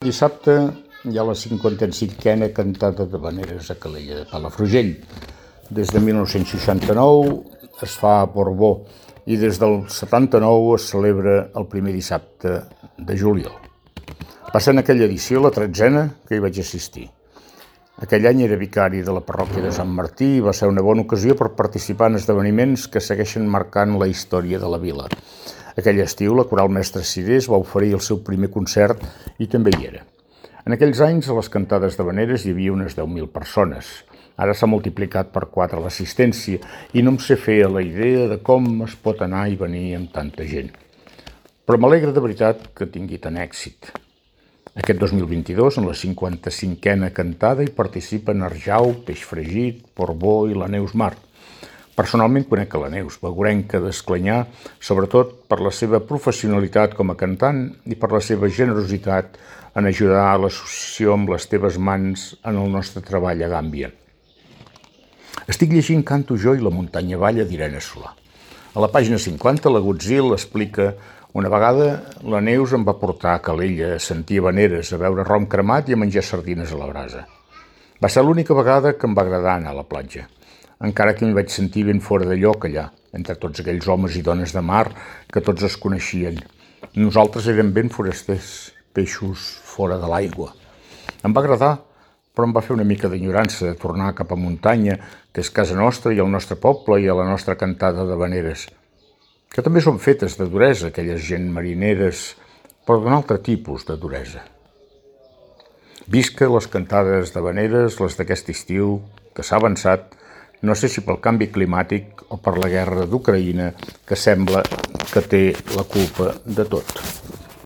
Dissabte hi ha la 55a cantada d'havaneres a Calella de Palafrugell. Des de 1969 es fa a Portbó i des del 79 es celebra el primer dissabte de juliol. Va ser en aquella edició, la 13a, que hi vaig assistir. Aquell any era vicari de la parròquia de Sant Martí i va ser una bona ocasió per participar en esdeveniments que segueixen marcant la història de la vila. Aquell estiu, la Coral Mestre Cirés va oferir el seu primer concert i també hi era. En aquells anys, a les cantades d'havaneres hi havia unes 10.000 persones. Ara s'ha multiplicat per 4 l'assistència i no em sé fer a la idea de com es pot anar i venir amb tanta gent. Però m'alegra de veritat que tingui tant èxit. Aquest 2022, en la 55a cantada, hi participen Arjau, Peix Fregit, Portbó i la Neus Mar. Personalment conec a la Neus, begurenca d'Esclanyà, sobretot per la seva professionalitat com a cantant i per la seva generositat en ajudar a l'associació amb les teves mans en el nostre treball a Gàmbia. Estic llegint Canto jo i la muntanya balla d'Irene Solà. A la pàgina 50, la Godzil explica: una vegada la Neus em va portar a Calella a sentir havaneres, a beure rom cremat i a menjar sardines a la brasa. Va ser l'única vegada que em va agradar anar a la platja, encara que m'hi vaig sentir ben fora de lloc allà, entre tots aquells homes i dones de mar que tots es coneixien. Nosaltres érem ben forasters, peixos fora de l'aigua. Em va agradar, però em va fer una mica d'enyorança de tornar cap a muntanya, que és casa nostra i el nostre poble i a la nostra cantada d'havaneres, que també són fetes de duresa, aquelles gent marineres, però d'un altre tipus de duresa. Visca les cantades d'havaneres, les d'aquest estiu, que s'ha avançat, no sé si pel canvi climàtic o per la guerra d'Ucraïna, que sembla que té la culpa de tot.